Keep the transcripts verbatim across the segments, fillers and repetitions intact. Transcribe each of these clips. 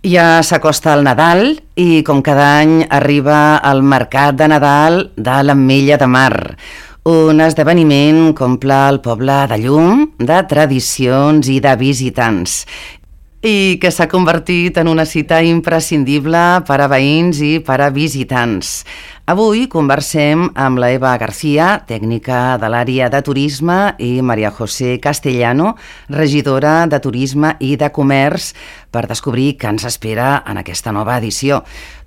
Ja s'acosta el Nadal i, com cada any, arriba el Mercat de Nadal de l'Ametlla de Mar. Un esdeveniment que omple el poble de llum, de tradicions i de visitants, i que s'ha convertit en una cita imprescindible per a veïns i per a visitants. Avui conversem amb la Eva García, tècnica de l'àrea de turisme, i Maria José Castellano, regidora de Turisme i de Comerç, per descobrir què ens espera en aquesta nova edició.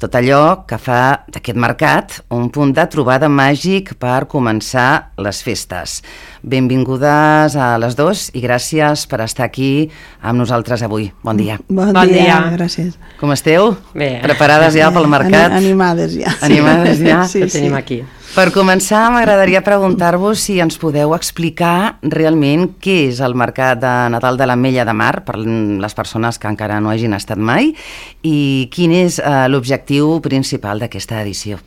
Tot allò que fa d'aquest mercat un punt de trobada màgic per començar les festes. Benvingudes a les dues i gràcies per estar aquí amb nosaltres avui. Bon dia. Bon, bon dia, dia, gràcies. Com esteu? Bé. Preparades ja pel mercat? Animades ja. Animades ja? Sí, que tenim sí. aquí. Per començar, m'agradaria preguntar-vos si ens podeu explicar realment què és el Mercat de Nadal de l'Ametlla de Mar, per les persones que encara no hagin estat mai, i quin és eh, l'objectiu principal d'aquesta edició.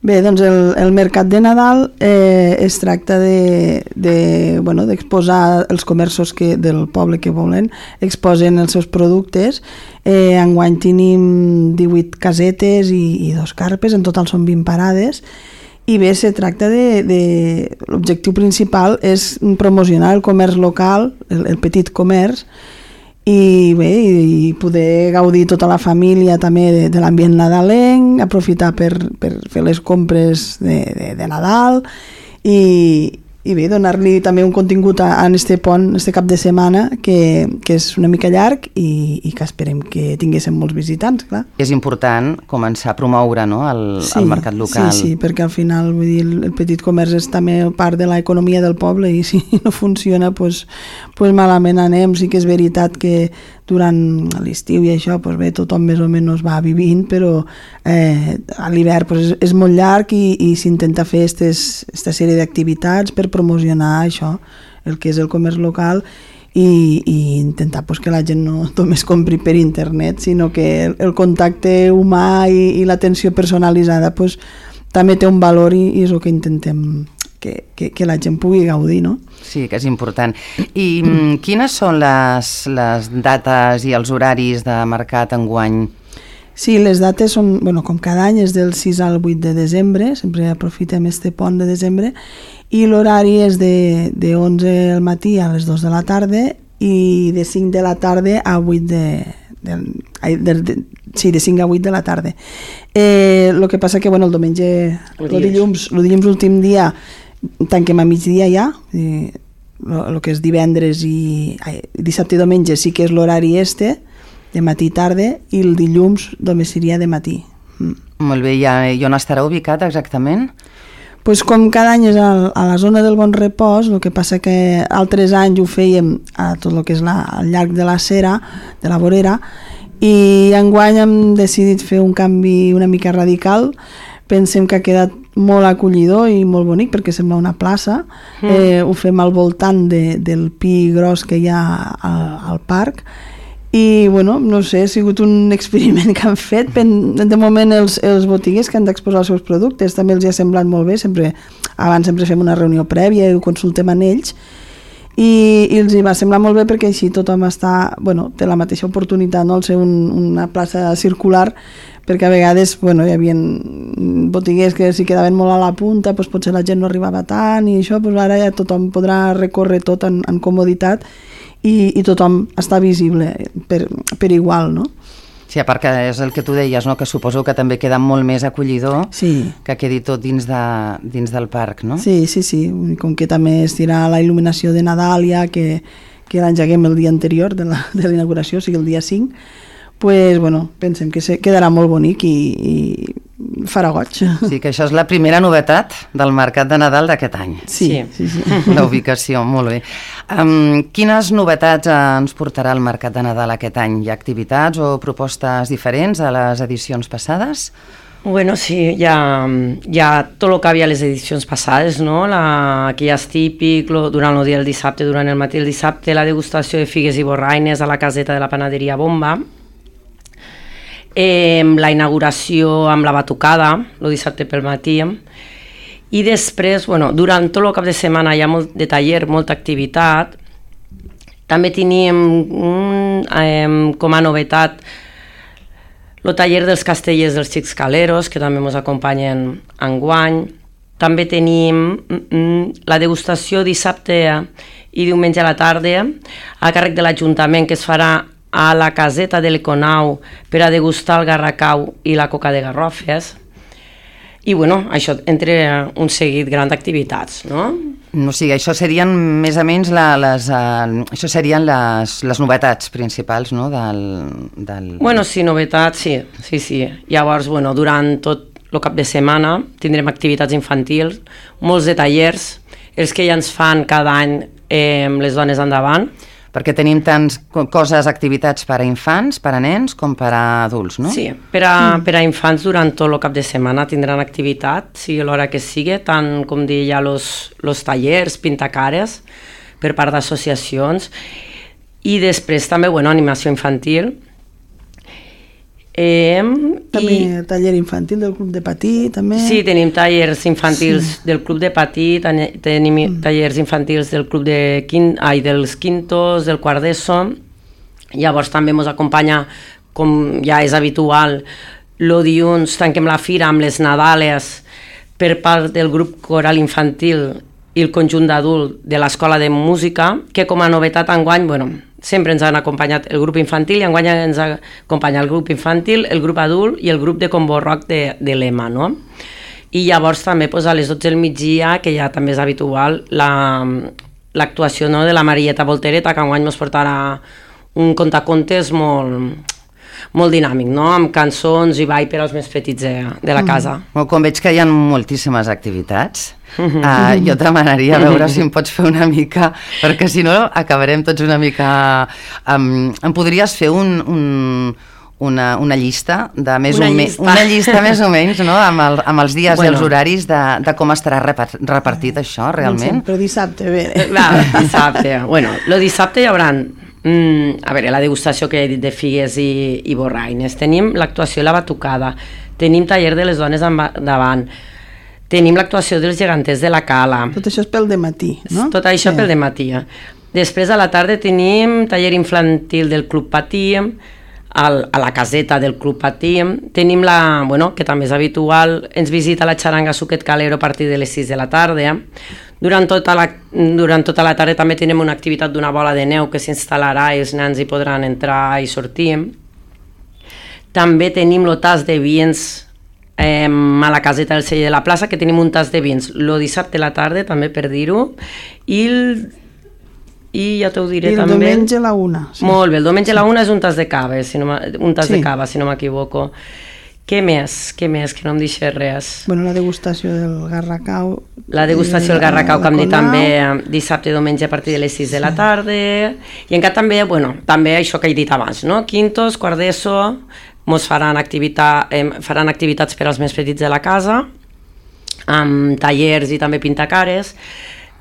Bé, doncs el, el Mercat de Nadal eh, es tracta de, de, bueno, d'exposar els comerços que, del poble que volen, exposen els seus productes. Eh, enguany tenim divuit casetes i, i dos carpes, en total són vint parades. I bé, se tracta de... de l'objectiu principal és promocionar el comerç local, el, el petit comerç, i bé, i poder gaudir tota la família també de, de l'ambient nadalenc, aprofitar per, per fer les compres de, de, de Nadal i, i bé, donar-li també un contingut a, a este pont, este cap de setmana, que, que és una mica llarg i, i que esperem que tinguéssim molts visitants, clar. És important començar a promoure, no, el, sí, el mercat local. Sí, sí, perquè al final, vull dir, el petit comerç és també part de l'economia del poble i si no funciona, pues, pues malament anem. Sí que és veritat que durant l'estiu i això, pues bé, tothom més o menys va vivint, però eh, a l'hivern pues, és, és molt llarg i, i s'intenta fer aquesta sèrie d'activitats per promocionar això, el que és el comerç local i, i intentar pues, que la gent no només compri per internet, sinó que el, el contacte humà i, i l'atenció personalitzada pues, també té un valor i, i és el que intentem que, que, que la gent pugui gaudir, no? Sí, que és important. I mm, quines són les, les dates i els horaris de mercat enguany? Sí, les dates són, bueno, com cada any, és del sis al vuit de desembre, sempre aprofitem este pont de desembre, i l'horari és de, de onze al matí a les dos de la tarda i de cinc de la tarda a vuit de... de, de, de sí, de cinc a vuit de la tarda. Eh, el que passa que, bueno, el diumenge, el dilluns, el dilluns últim dia, tanquem a migdia ja, el que és divendres i ai, dissabte i diumenge sí que és l'horari este, de matí i tarda, i el dilluns només seria de matí. Mm. Molt bé, i on estarà ubicat exactament? Pues com cada any és a, a la zona del Bon Repòs, el que passa que altres anys ho fèiem a tot el que és la, al llarg de la Cera, de la vorera, i enguany hem decidit fer un canvi una mica radical. Pensem que ha quedat molt acollidor i molt bonic perquè sembla una plaça. Mm. Eh, ho fem al voltant de, del pi gros que hi ha al, al parc i, bueno, no sé, ha sigut un experiment que han fet. De moment els, els botiguers que han d'exposar els seus productes també els hi ha semblat molt bé. Sempre, abans sempre fem una reunió prèvia i ho consultem amb ells i, i els hi va semblar molt bé perquè així tothom està, bueno, té la mateixa oportunitat, no? Al ser un, una plaça circular, perquè a vegades bueno, hi havia botiguers que si quedaven molt a la punta, doncs potser la gent no arribava tant i això, doncs ara ja tothom podrà recórrer tot en, en comoditat i, i tothom està visible per, per igual, no? Sí, a part que és el que tu deies, no? Que suposo que també queda molt més acollidor, sí, que quedi tot dins, de, dins del parc, no? Sí, sí, sí, com que també es tira la il·luminació de Nadal ja que, que l'engeguem el dia anterior de la, de la inauguració, o sigui el dia cinc, pues, bueno, pensem que se quedarà molt bonic i, i farà goig. Sí, que això és la primera novetat del Mercat de Nadal d'aquest any. Sí, sí, sí. La ubicació, molt bé. Um, quines novetats ens portarà el Mercat de Nadal aquest any? Hi ha activitats o propostes diferents a les edicions passades? Bueno, sí, hi ha, hi ha tot el que havia a les edicions passades, no? La, que ja és típic, lo, durant el dia del dissabte, durant el matí del dissabte, la degustació de figues i borraines a la caseta de la panaderia Bomba, Eh, la inauguració amb la batucada, el dissabte pel matí, i després, bueno, durant tot el cap de setmana hi ha molt de taller, molta activitat. També teníem, um, eh, com a novetat, el taller dels castellers dels xics caleros, que també ens acompanyen enguany. També tenim mm, la degustació dissabte i diumenge a la tarda a càrrec de l'Ajuntament, que es farà a la caseta de l'Econau per a degustar el garracau i la coca de garrofes. I bueno, això entre un seguit gran d'activitats, no? O sigui, això serien més o menys la, les, uh, això serien les, les novetats principals, no? Del, del... Bueno, sí, novetats, sí, sí, sí. Llavors, bueno, durant tot el cap de setmana tindrem activitats infantils, molts de tallers, els que ja ens fan cada any eh, les dones endavant. Perquè tenim tants coses, activitats per a infants, per a nens, com per a adults, no? Sí, per a, mm. per a infants durant tot el cap de setmana tindran activitat, sigui l'hora que sigui, tant com dir ja els tallers, pintacares, per part d'associacions, i després també, bueno, animació infantil. Eh, també i... taller infantil del Club de Patí, també. Sí, tenim tallers infantils sí. del Club de Patí, tenim mm. tallers infantils del Club de Quin... Ai, dels Quintos, del quart d'ESO. Llavors també ens acompanya, com ja és habitual, el dilluns tanquem la fira amb les Nadales per part del grup coral infantil i el conjunt d'adult de l'Escola de Música, que com a novetat enguany, bueno, sempre ens han acompanyat el grup infantil i enguany ens acompanya el grup infantil, el grup adult i el grup de combo rock de, de l'Ema, no? I llavors també pues, a les dotze del migdia, que ja també és habitual, l'actuació la, no, de la Marieta Voltereta, que enguany ens portarà un contacontes molt, molt dinàmic, no? Amb cançons i ball per als més petits de, de la casa. Mm. Com veig que hi ha moltíssimes activitats, Uh, jo et demanaria a veure si em pots fer una mica, perquè si no acabarem tots una mica... Um, em podries fer un, un, una, una llista de més una, o llista. Me, una llista més o menys, no? amb, el, amb els dies bueno. i els horaris de, de com estarà repartit això realment? Però dissabte, bé. Va, dissabte. Bueno, el dissabte hi haurà mm, a veure, la degustació que he dit de figues i, i borraines, tenim l'actuació i la batucada, tenim taller de les dones davant, tenim l'actuació dels geganters de la Cala. Tot això és pel dematí, no? Tot això sí. pel dematí. Després a la tarda tenim taller infantil del Club Patí, al, a la caseta del Club Patí. Tenim la, bueno, que també és habitual, ens visita la xaranga Suquet Calero a partir de les sis de la tarda. Durant tota la, durant tota la tarda també tenim una activitat d'una bola de neu que s'instal·larà i els nens hi podran entrar i sortir. També tenim el tas de vins Eh, a la caseta del celler de la plaça, que tenim un tas de vins el dissabte a la tarda, també per dir-ho, i, el, i ja t'ho diré I el també. diumenge a la una. Sí. Molt bé, el diumenge a la una és un tas de cava, si no un tas sí. de cava, si no m'equivoco. Què més? Què més? Que no em deixés res. Bueno, la degustació del garracau. La degustació del garracau, que em dit també dissabte i diumenge a partir de les sis sí. de la tarda. I encara també, bueno, també això que he dit abans, no? Quintos, quart d'ESO, ens faran, activitat, eh, faran activitats per als més petits de la casa, amb tallers i també pintacares.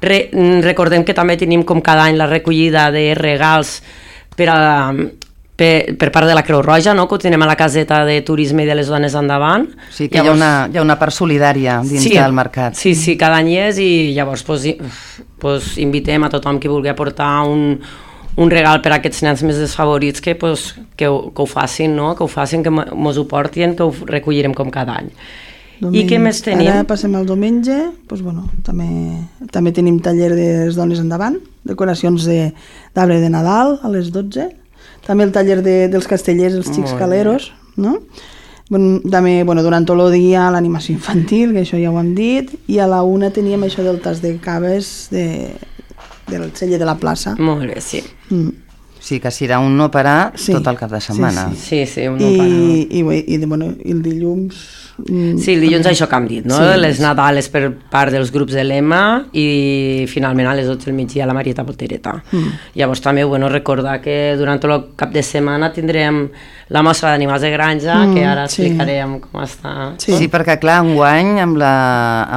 Re, recordem que també tenim com cada any la recollida de regals per, a, per, per part de la Creu Roja, no? Que ho tenim a la caseta de turisme i de les dones endavant. Sí, que llavors, hi, ha una, hi ha una part solidària dins sí, del mercat. Sí, sí, cada any és i llavors pues, pues, invitem a tothom que vulgui aportar un un regal per a aquests nens més desfavorits que, pues, que, ho, que ho facin, no? Que ho facin, que mos ho portin, que ho recollirem com cada any. Doming... I què més tenim? Ara passem al diumenge, pues, bueno, també, també tenim taller de les dones endavant, decoracions d'arbre de, de Nadal a les dotze, també el taller de, dels castellers, els xics caleros, no? Bueno, també, bueno, durant tot el dia l'animació infantil, que això ja ho hem dit, i a la una teníem això del tas de caves de... del celler de la plaça. Molt bé, sí. Mm. Sí, que serà un no parar sí. tot el cap de setmana. Sí, sí, sí, sí un no I, parar. I, i, i, bueno, i el dilluns... Sí, el dilluns això que hem dit, no? Sí. Les Nadales per part dels grups de l'Ema i finalment a les dotze del migdia la Marieta Voltereta. Mm. Llavors també, bueno, recordar que durant tot el cap de setmana tindrem la mostra d'animals de granja, mm, que ara explicarem sí. com està. Sí. sí, perquè clar, enguany amb la,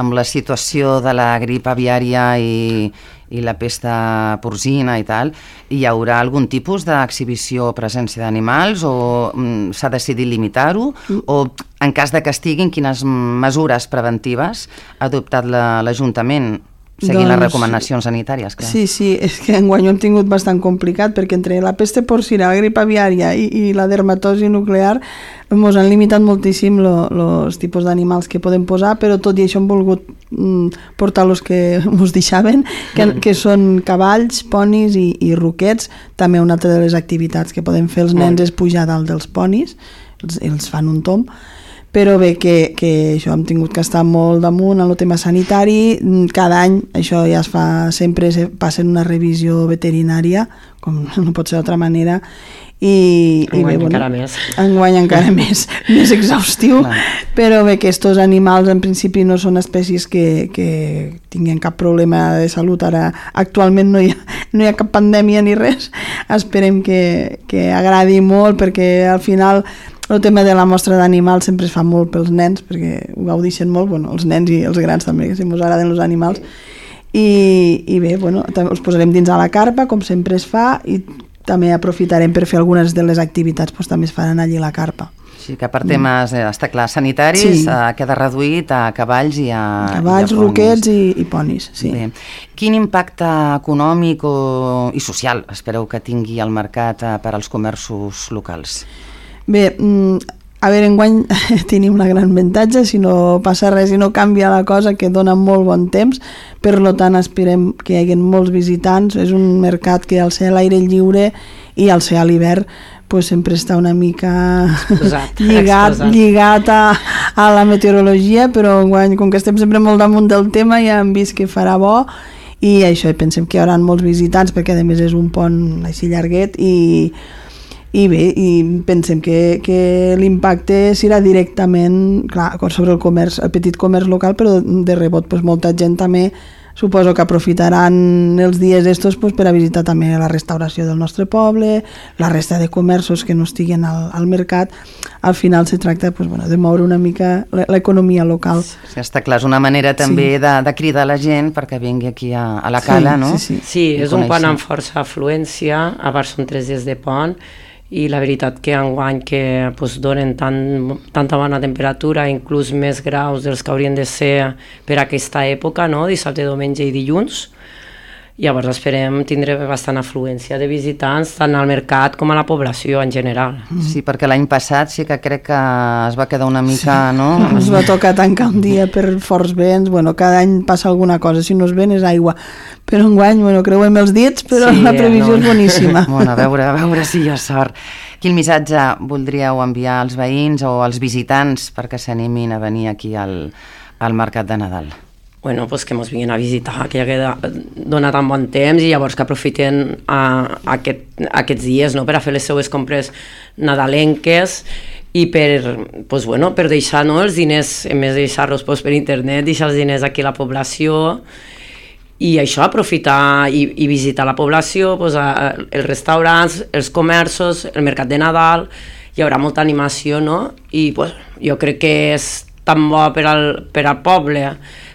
amb la situació de la grip aviària i i la pesta porcina i tal, hi haurà algun tipus d'exhibició o presència d'animals o mm, s'ha decidit limitar-ho mm. o en cas de que estiguin, quines mesures preventives ha adoptat l'Ajuntament seguint doncs, les recomanacions sanitàries, clar. Sí, sí, és que enguany ho hem tingut bastant complicat perquè entre la peste porcina, la grip aviària i, i la dermatosi nuclear ens han limitat moltíssim els tipus d'animals que podem posar, però tot i això hem volgut mm, portar els que ens deixaven, que, que són cavalls, ponis i, i roquets. També una altra de les activitats que podem fer els nens és pujar dalt dels ponis, els, els fan un tomb. Però bé, que, que això hem tingut que estar molt damunt en el tema sanitari. Cada any, això ja es fa, sempre se passa una revisió veterinària, com no pot ser d'altra manera, i, enguany i bé, bueno, encara més. Enguany encara més, més exhaustiu, clar. Però bé, que estos animals en principi no són espècies que, que tinguin cap problema de salut. Ara, actualment no hi ha, no hi ha cap pandèmia ni res. Esperem que, que agradi molt, perquè al final el tema de la mostra d'animals sempre es fa molt pels nens, perquè ho gaudeixen molt, bueno, els nens i els grans també, que si ens agraden els animals. I, i bé, bueno, també els posarem dins a la carpa, com sempre es fa, i també aprofitarem per fer algunes de les activitats, doncs també es faran allí a la carpa. Sí, que per temes, eh, està clar, sanitaris, sí. eh, queda reduït a cavalls i a Cavalls, i a roquets i, i ponis, sí. Bé. Quin impacte econòmic o, i social espereu que tingui el mercat eh, per als comerços locals? Bé, a veure, enguany tenim una gran avantatge, si no passa res i no canvia la cosa, que dona molt bon temps, per tant esperem que hi hagi molts visitants. És un mercat que al ser a l'aire lliure i al ser a l'hivern pues sempre està una mica exposat, lligat, exposat. lligat a, a la meteorologia, però enguany, com que estem sempre molt damunt del tema, ja hem vist que farà bo, i això, pensem que hi haurà molts visitants, perquè a més és un pont així llarguet, i I bé, i pensem que, que l'impacte serà directament, clar, sobre el comerç, el petit comerç local, però de rebot pues, molta gent també suposo que aprofitaran els dies estos pues, per a visitar també la restauració del nostre poble, la resta de comerços que no estiguen al, al mercat. Al final se tracta pues, bueno, de moure una mica l'economia local. Sí, està clar, és una manera també sí. de, de cridar la gent perquè vingui aquí a, a la cala, sí, no? Sí, sí. sí és un pont amb força afluència, a part són tres dies de pont, i la veritat que enguany que pues, donen tan, tanta bona temperatura, inclús més graus dels que haurien de ser per aquesta època, no? Dissabte, diumenge i dilluns. Llavors esperem tindre bastant afluència de visitants tant al mercat com a la població en general. Sí, perquè l'any passat sí que crec que es va quedar una mica, sí. no? Es va tocar tancar un dia per forts vents, bueno, cada any passa alguna cosa, si no és vent és aigua, però enguany, bueno, creuem els dits, però sí, la previsió no. és boníssima. Bueno, a veure, a veure si hi ha sort. Quin missatge voldríeu enviar als veïns o als visitants perquè s'animin a venir aquí al, al Mercat de Nadal? Bueno, pues que ens vinguin a visitar, que ja queda, dona tan bon temps i llavors que aprofiten a, a aquest, aquests dies, no?, per a fer les seues compres nadalenques i per, pues, bueno, per deixar, no?, els diners, en més de deixar-los pues, per internet, deixar els diners aquí a la població i això, aprofitar i, i visitar la població, pues, a, els restaurants, els comerços, el mercat de Nadal, hi haurà molta animació, no?, i pues, jo crec que és tan bo per al, per al poble,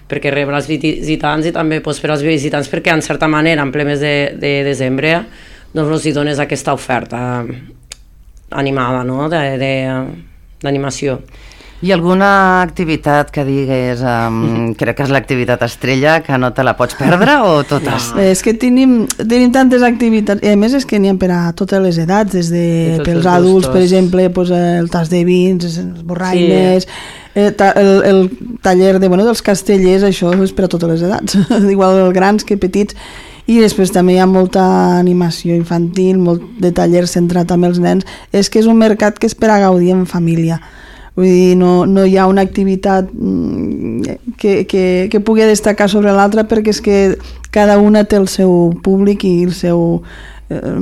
perquè rebre els visitants i també pues, per als visitants, perquè en certa manera, en ple mes de, de desembre, doncs els hi dones aquesta oferta animada, no?, d'animació. I alguna activitat que digues, um, crec que és l'activitat estrella, que no te la pots perdre, o totes? No. És que tenim, tenim tantes activitats, i a més és que n'hi ha per a totes les edats, des de pels adults, per exemple, pues, el tas de vins, els borraines, sí. el, el, el taller de, bueno, dels castellers, això és per a totes les edats, igual grans que petits, i després també hi ha molta animació infantil, molt de taller centrat amb els nens. És que és un mercat que és per a gaudir en família. Vull dir, no, no hi ha una activitat que, que, que pugui destacar sobre l'altra, perquè és que cada una té el seu públic i el seu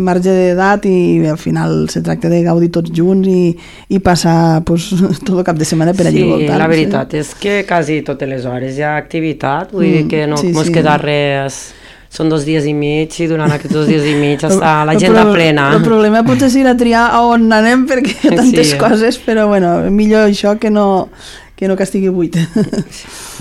marge d'edat, i al final se tracta de gaudir tots junts i, i passar pues, tot el cap de setmana per allí sí, voltant. Sí, la veritat és que quasi totes les hores hi ha activitat, vull mm, dir que no sí, mos sí. queda res. Són dos dies i mig i durant aquests dos dies i mig està l'agenda plena. El problema potser serà triar a on anem, perquè hi ha tantes sí. coses, però bueno, millor això que no, que no que estigui buit.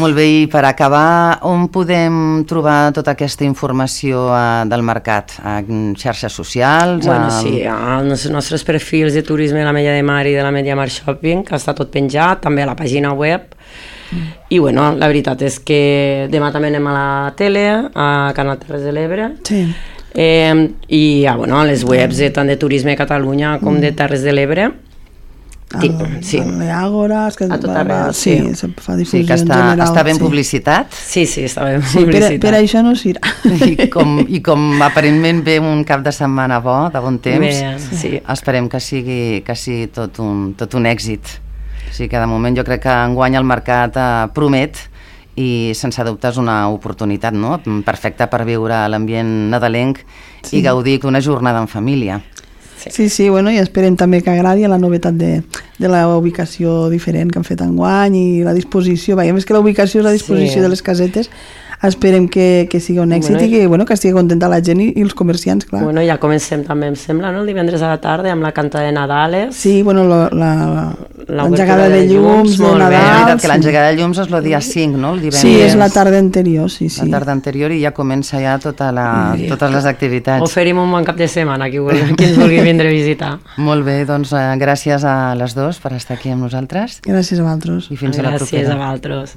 Molt bé, i per acabar, on podem trobar tota aquesta informació uh, del mercat? En xarxes socials? Bueno, a... sí, als nostres perfils de turisme de la Mella de Mar i de la Media Mar Shopping, que està tot penjat, també a la pàgina web, Mm. I bueno, la veritat és que demà també anem a la tele, a Canal Terres de l'Ebre. Sí. Eh, I ah, bueno, a les webs de, tant de Turisme Catalunya com de Terres de l'Ebre. El, sí. l'Àgora, que a tot arreu, sí, sí, se fa difusió sí, que està, general. Està ben sí. publicitat. Sí, sí, està ben sí, publicitat. Per, per això no s'irà. I com, I com aparentment ve un cap de setmana bo, de bon temps, bé, sí. esperem que sigui, que sigui tot, un, tot un èxit. O sigui que de moment jo crec que enguany el mercat eh, promet i sense dubte és una oportunitat, no?, perfecta per viure l'ambient nadalenc sí. i gaudir d'una jornada en família. Sí, sí, bueno, i esperem també que agradi la novetat de, de la ubicació diferent que han fet enguany i la disposició, veiem més que la ubicació és la disposició sí. de les casetes, esperem que, que sigui un èxit bueno, i que, bueno, que estigui contenta la gent i, i els comerciants, clar. Bueno, ja comencem també, em sembla, no?, el divendres a la tarda amb la canta de Nadales. Sí, bueno, l'engegada de, de llums, de Nadal. És veritat que l'engegada de llums és el dia cinc, no?, el divendres. Sí, és la tarda anterior, sí, sí. La tarda anterior i ja comença ja tota la, totes les activitats. Oferim un bon cap de setmana qui, vulgui, qui ens vulgui vindre a visitar. Molt bé, doncs eh, gràcies a les dos per estar aquí amb nosaltres. Gràcies a vosaltres. I fins gràcies a la propera. Gràcies a vosaltres.